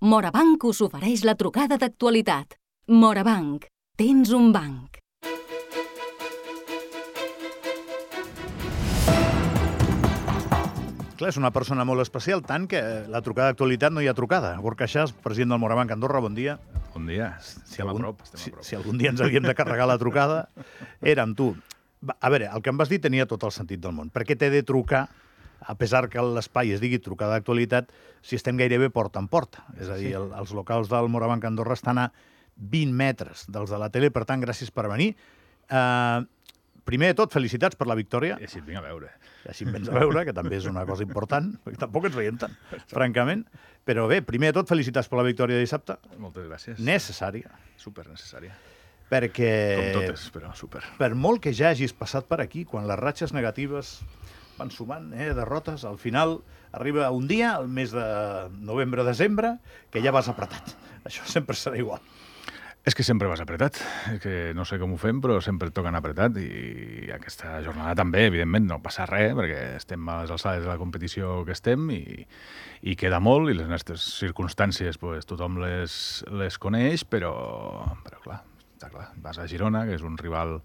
Morabanc us ofereix la trucada d'actualitat. Morabanc, tens un banc. Clar, és una persona molt especial, tant que la trucada d'actualitat no hi ha trucada. Gorka Xas, president del Morabanc Andorra, bon dia. Bon dia. Estem a prop. Si algun dia ens havíem de carregar la trucada, era amb tu. A veure, el que em vas dir tenia tot el sentit del món. Per què t'he de trucar, a pesar que l'espai es digui trucada d'actualitat, si estem gairebé porta en porta? És a dir, els locals del Morabanc Andorra estan a 20 metres dels de la tele, per tant, gràcies per venir. Primer de tot, felicitats per la victòria. I així et vinc a veure. I així em vens a veure, que també és una cosa important, perquè tampoc ens veiem tant, francament. Però bé, primer de tot, felicitats per la victòria de dissabte. Moltes gràcies. Necessària. Supernecessària. Perquè... Com totes, però super. Per molt que ja hagis passat per aquí, quan les ratxes negatives van sumant, derrotes, al final arriba un dia, el mes de novembre-desembre, que ja vas apretat. Això sempre serà igual. És que sempre vas apretat, que no sé com ho fem, però sempre et toquen apretat i aquesta jornada també, evidentment, no passa res, perquè estem a les alçades de la competició que estem i queda molt, i les nostres circumstàncies pues, tothom les coneix, però clar, està clar, vas a Girona, que és un rival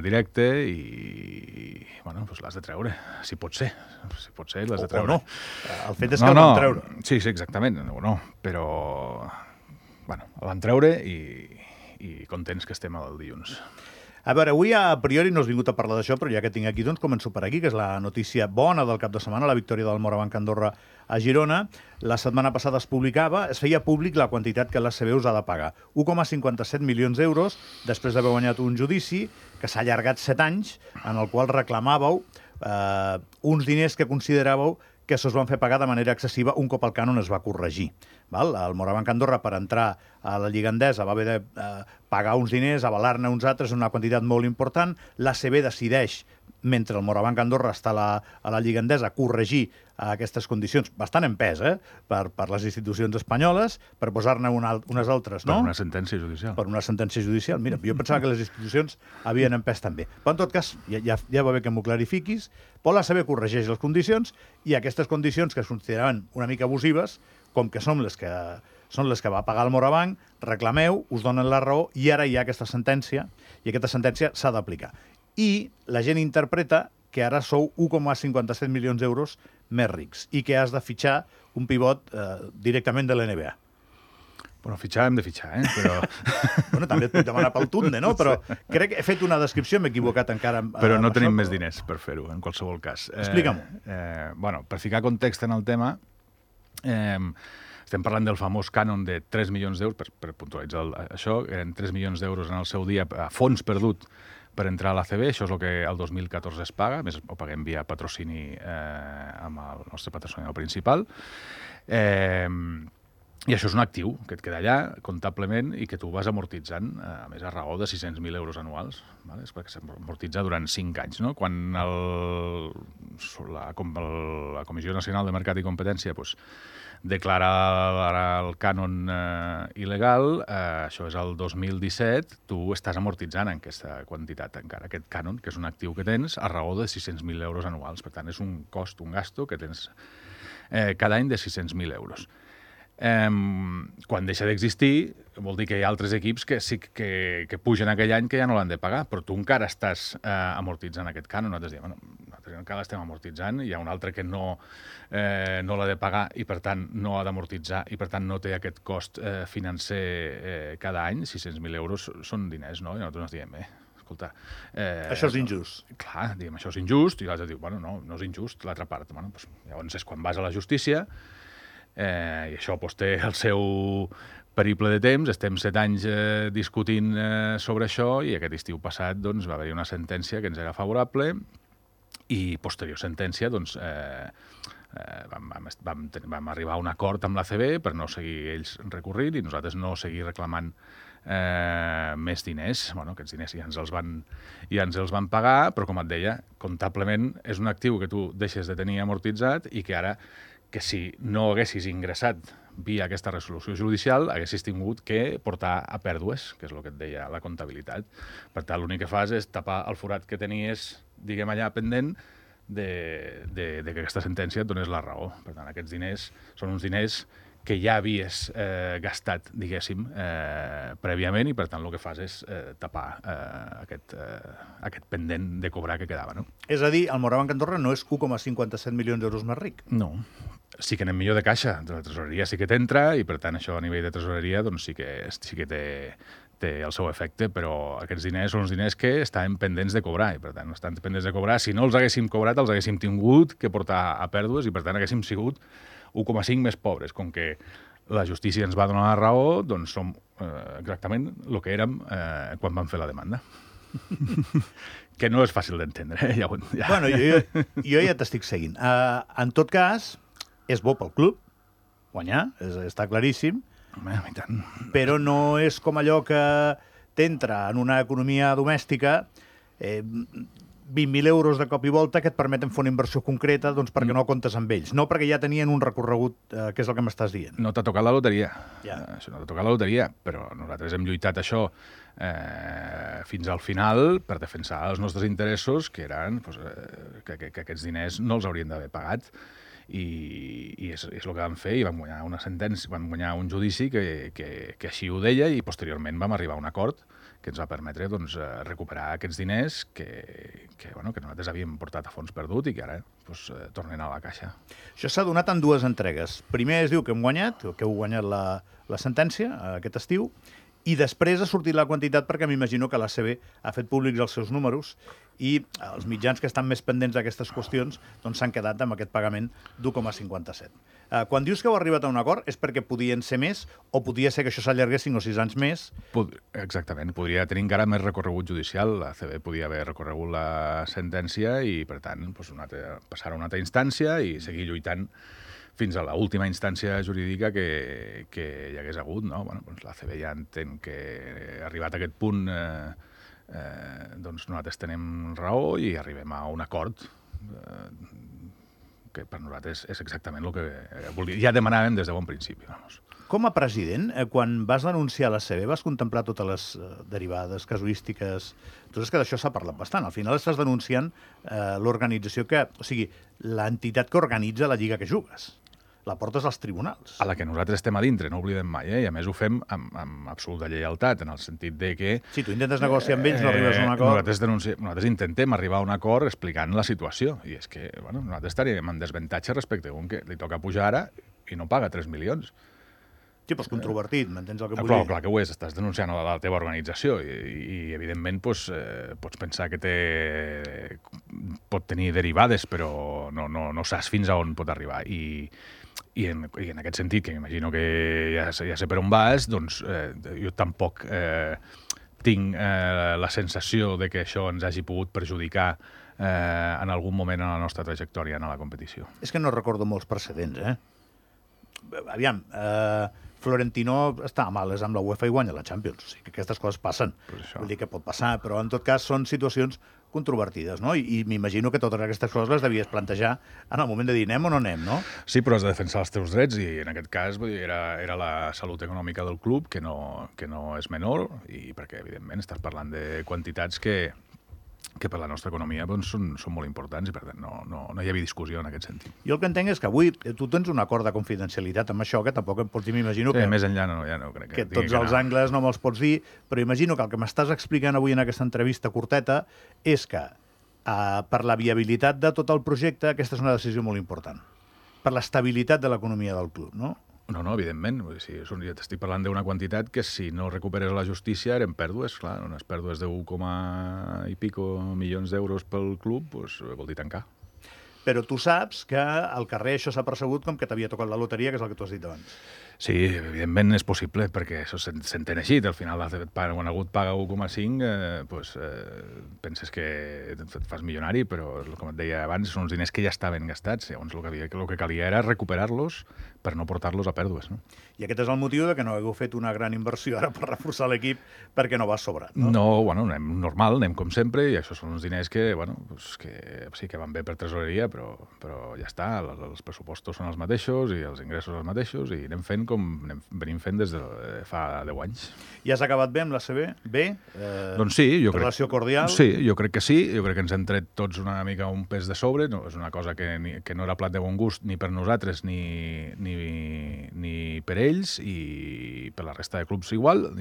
directe i bueno, pues l'has de treure, si pot ser, l'has de treure. O no, el fet és que el van treure. Sí, exactament, o no, però... Bueno, el van treure i contents que estem el dilluns. A veure, avui a priori no has vingut a parlar d'això, però ja que tinc aquí, doncs començo per aquí, que és la notícia bona del cap de setmana, la victòria del Morabanc Andorra a Girona. La setmana passada es publicava, es feia públic la quantitat que l'ACB us ha de pagar. 1,57 milions d'euros, després d'haver guanyat un judici que s'ha allargat 7 anys, en el qual reclamàveu uns diners que consideràveu que se'ls van fer pagar de manera excessiva un cop el cànon es va corregir. El Morabanc Andorra, per entrar a la Lliga Endesa, va haver de pagar uns diners, avalar-ne uns altres, una quantitat molt important. L'ACB decideix, mentre el Morabanc Andorra està a la Lliga Endesa, corregir aquestes condicions, bastant en pes, per les institucions espanyoles, per posar-ne unes altres, no? Per una sentència judicial. Per una sentència judicial. Mira, jo pensava que les institucions havien en pes també. Però, en tot cas, ja va bé que m'ho clarifiquis, però l'ACB corregeix les condicions i aquestes condicions que es consideraven una mica abusives, com que són les que va pagar el Morabanc, reclameu, us donen la raó i ara hi ha aquesta sentència i aquesta sentència s'ha d'aplicar. I la gent interpreta que ara sou 1,57 milions d'euros més rics i que has de fitxar un pivot directament de l'NBA. Bueno, fitxar hem de fitxar, Però... Bueno, també et puc demanar pel Tunde, no? Però crec que he fet una descripció, m'he equivocat encara. Però no tenim més diners per fer-ho, en qualsevol cas. Explica'm-ho. Bueno, per ficar context en el tema, estem parlant del famós cànon de 3 milions d'euros, per puntualitzar això, eren 3 milions d'euros en el seu dia a fons perdut per entrar a l'ACB, això és el que el 2014 es paga, a més ho paguem via patrocini amb el nostre patrocinador principal. I això és un actiu que et queda allà, comptablement, i que tu vas amortitzant, a més a raó de 600.000 euros anuals, és perquè s'amortitza durant 5 anys. No? Quan la Comissió Nacional de Mercat i Competència declara el cànon il·legal, això és el 2017, tu estàs amortitzant aquesta quantitat encara, aquest cànon, que és un actiu que tens a raó de 600.000 euros anuals. Per tant, és un cost, un gasto que tens cada any de 600.000 euros. Quan deixa d'existir, vol dir que hi ha altres equips que pugen aquell any que ja no l'han de pagar, però tu encara estàs amortitzant aquest cànon. Nosaltres diem, nosaltres encara l'estem amortitzant, hi ha un altre que no l'ha de pagar i per tant no ha d'amortitzar i per tant no té aquest cost financer cada any. 600.000 euros són diners, no? I nosaltres ens diem, escolta... Això és injust. Clar, diem, això és injust, i l'altre diu, bueno, no és injust, l'altra part. Bueno, llavors és quan vas a la justícia, i això té el seu periple de temps, estem 7 anys discutint sobre això i aquest estiu passat va haver-hi una sentència que ens era favorable i posterior sentència vam arribar a un acord amb l'ACB per no seguir ells recorrint i nosaltres no seguir reclamant més diners. Bueno, aquests diners ja ens els van pagar, però com et deia, comptablement és un actiu que tu deixes de tenir amortitzat i que ara que si no haguessis ingressat via aquesta resolució judicial, haguessis tingut que portar a pèrdues, que és el que et deia la comptabilitat. Per tant, l'únic que fas és tapar el forat que tenies, diguem allà, pendent de que aquesta sentència et donés la raó. Per tant, aquests diners són uns diners que ja havies gastat, diguéssim, prèviament, i per tant el que fas és tapar aquest pendent de cobrar que quedava, no? És a dir, el Morabanc Andorra no és 1,57 milions d'euros més ric. No. Sí que anem millor de caixa, de la tresoreria sí que t'entra, i per tant això a nivell de tresoreria doncs sí que té el seu efecte, però aquests diners són uns diners que estaven pendents de cobrar, i per tant no estan pendents de cobrar. Si no els haguéssim cobrat, els haguéssim tingut que portar a pèrdues, i per tant haguéssim sigut 1,5 més pobres. Com que la justícia ens va donar la raó, doncs som exactament el que érem quan vam fer la demanda. Que no és fàcil d'entendre, ja. Bueno, jo ja t'estic seguint. En tot cas, és bo pel club guanyar, està claríssim, I tant. però no és com allò que t'entra en una economia domèstica 20.000 euros de cop i volta que et permeten fer una inversió concreta doncs, perquè no comptes amb ells. No perquè ja tenien un recorregut, que és el que m'estàs dient. No t'ha tocat la loteria. Ja. Això no t'ha tocat la loteria, però nosaltres hem lluitat això fins al final per defensar els nostres interessos, que eren que aquests diners no els haurien d'haver pagat. I és el que vam fer, i vam guanyar una sentència, vam guanyar un judici que així ho deia, i posteriorment vam arribar a un acord que ens va permetre doncs, recuperar aquests diners que nosaltres havíem portat a fons perdut i que ara tornen a la caixa. Això s'ha donat en dues entregues. Primer es diu que hem guanyat, que heu guanyat la sentència aquest estiu, i després ha sortit la quantitat perquè m'imagino que l'ACB ha fet públics els seus números i els mitjans que estan més pendents d'aquestes qüestions doncs s'han quedat amb aquest pagament d'1,57. Quan dius que heu arribat a un acord és perquè podien ser més o podia ser que això s'allargués 5 o 6 anys més? Exactament. Podria tenir encara més recorregut judicial. L'ACB podia haver recorregut la sentència i, per tant, passar a una altra instància i seguir lluitant fins a l'última instància jurídica que hi hagués hagut, no? Bueno, doncs l'ACB ja entén que arribat a aquest punt doncs nosaltres tenim raó i arribem a un acord que per nosaltres és exactament el que ja demanàvem des de bon principi. Vamos. Com a president, quan vas denunciar l'ACB, vas contemplar totes les derivades, casuístiques... Tu saps que d'això s'ha parlat bastant. Al final estàs denunciant l'organització o sigui, l'entitat que organitza la lliga que jugues. La portes als tribunals. A la que nosaltres estem a dintre, no oblidem mai, i a més ho fem amb absoluta lleialtat, en el sentit de que... Si tu intentes negociar amb ells, no arribes a un acord... Nosaltres intentem arribar a un acord explicant la situació, i és que nosaltres estaríem en desavantatge respecte a un que li toca pujar ara i no paga 3 milions. Sí, però és controvertit, m'entens el que vull dir? Clar que ho és, estàs denunciant a la teva organització i evidentment, pots pensar que pot tenir derivades, però no saps fins a on pot arribar. I en aquest sentit, que m'imagino que ja sé per on vas, doncs jo tampoc tinc la sensació de que això ens hagi pogut perjudicar en algun moment en la nostra trajectòria en la competició. És que no recordo molts precedents, Aviam, Florentino està males amb la UEFA i guanya la Champions. O sigui que aquestes coses passen. Vull dir que pot passar, però en tot cas són situacions controvertides, no? I m'imagino que totes aquestes coses les devies plantejar en el moment de dir anem o no anem, no? Sí, però has de defensar els teus drets i en aquest cas era la salut econòmica del club, que no és menor, i perquè evidentment estàs parlant de quantitats que per la nostra economia doncs, són molt importants i per tant no hi havia discussió en aquest sentit. Jo el que entenc és que avui tu tens un acord de confidencialitat amb això, que tampoc em pots dir, m'imagino que... Més enllà ja no crec que tots els angles no me'ls pots dir, però imagino que el que m'estàs explicant avui en aquesta entrevista curteta és que per la viabilitat de tot el projecte aquesta és una decisió molt important. Per l'estabilitat de l'economia del club, no? No, evidentment. Ja t'estic parlant d'una quantitat que si no recuperes a la justícia eren pèrdues, clar, unes pèrdues de 1, i pico milions d'euros pel club, doncs vol dir tancar. Però tu saps que al carrer això s'ha percebut com que t'havia tocat la loteria, que és el que tu has dit abans. Sí, evidentment és possible, perquè això s'entén així. Al final, quan algú et paga 1,5, penses que et fas milionari, però, com et deia abans, són uns diners que ja estaven gastats. Llavors, el que calia era recuperar-los per no portar-los a pèrdues. No? I aquest és el motiu de que no hagueu fet una gran inversió ara per reforçar l'equip perquè no va sobrat, no? No, anem normal, anem com sempre, i això són uns diners que sí que van bé per tresoreria, però ja està, els pressupostos són els mateixos i els ingressos els mateixos, i anem fent com venim fent des de fa 10 anys. I has acabat bé amb la CB? Bé? Doncs sí, jo crec... Relació cordial? Sí, jo crec que sí. Jo crec que ens hem tret tots una mica un pes de sobre. No, és una cosa que no era plat de bon gust ni per nosaltres ni per ells, i per la resta de clubs igual.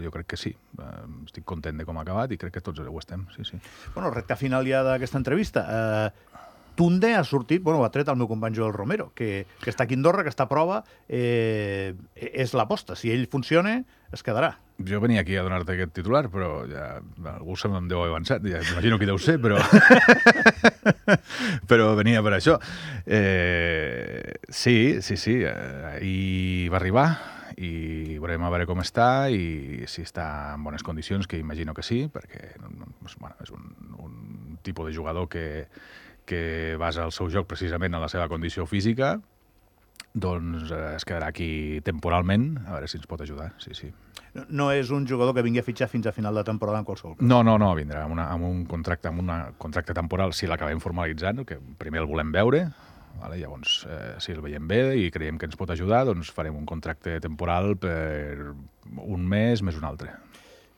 Jo crec que sí. Estic content de com ha acabat i crec que tots ho estem, sí, sí. Bueno, recta final ja d'aquesta entrevista. Tunde ha sortit, ha tret el meu company Joel Romero, que està aquí a Andorra, que està a prova, és l'aposta. Si ell funciona, es quedarà. Jo venia aquí a donar-te aquest titular, però ja algú se me'n deu haver avançat, ja imagino qui deu ser, però però venia per això. Sí, ahir va arribar i veurem a veure com està i si està en bones condicions, que imagino que sí, perquè és un tipus de jugador que basa el seu joc precisament en la seva condició física, doncs es quedarà aquí temporalment, a veure si ens pot ajudar, sí. No és un jugador que vingui a fitxar fins a final de temporada en qualsevol cas? No, vindrà amb un contracte temporal, si l'acabem formalitzant, que primer el volem veure, llavors si el veiem bé i creiem que ens pot ajudar, doncs farem un contracte temporal per un mes més un altre.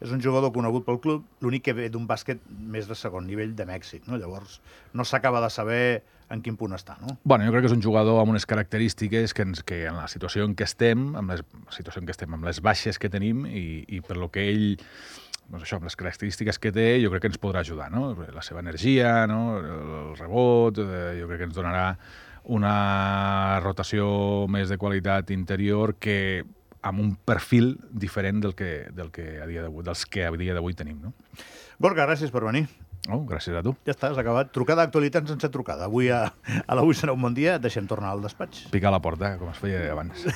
És un jugador conegut pel club, l'únic que ve d'un bàsquet més de segon nivell de Mèxic, no? Llavors no s'acaba de saber en quin punt està, no? Bueno, jo crec que és un jugador amb unes característiques que en la situació en què estem, amb les baixes que tenim i per lo que ell, doncs això, amb les característiques que té, jo crec que ens podrà ajudar, no? La seva energia, no? El rebot, jo crec que ens donarà una rotació més de qualitat interior que amb un perfil diferent dels que a dia d'avui tenim, no? Gorka, gràcies per venir. Gràcies a tu. Ja està, has acabat. Trucada d'actualitat sense trucada. Avui a l'Avui serà un bon dia. Deixem tornar al despatx. Picar a la porta, com es feia abans.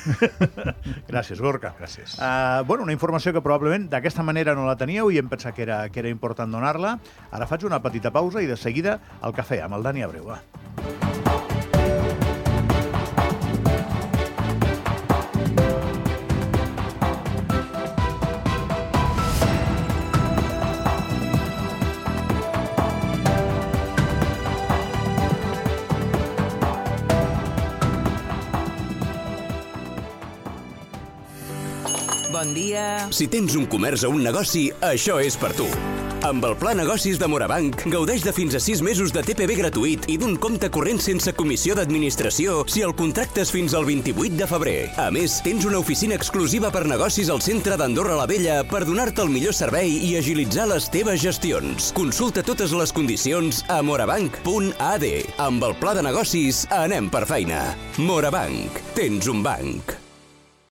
Gràcies, Gorka. Gràcies. Una informació que probablement d'aquesta manera no la teníeu i em pensava que era important donar-la. Ara faig una petita pausa i de seguida el cafè amb el Dani Abreu. Va. Bon dia. Si tens un comerç o un negoci, això és per tu. Amb el Pla Negocis de Morabanc, gaudeix de fins a 6 mesos de TPV gratuït i d'un compte corrent sense comissió d'administració si el contractes fins al 28 de febrer. A més, tens una oficina exclusiva per negocis al centre d'Andorra la Vella per donar-te el millor servei i agilitzar les teves gestions. Consulta totes les condicions a morabanc.ad. Amb el Pla de Negocis, anem per feina. Morabanc. Tens un banc.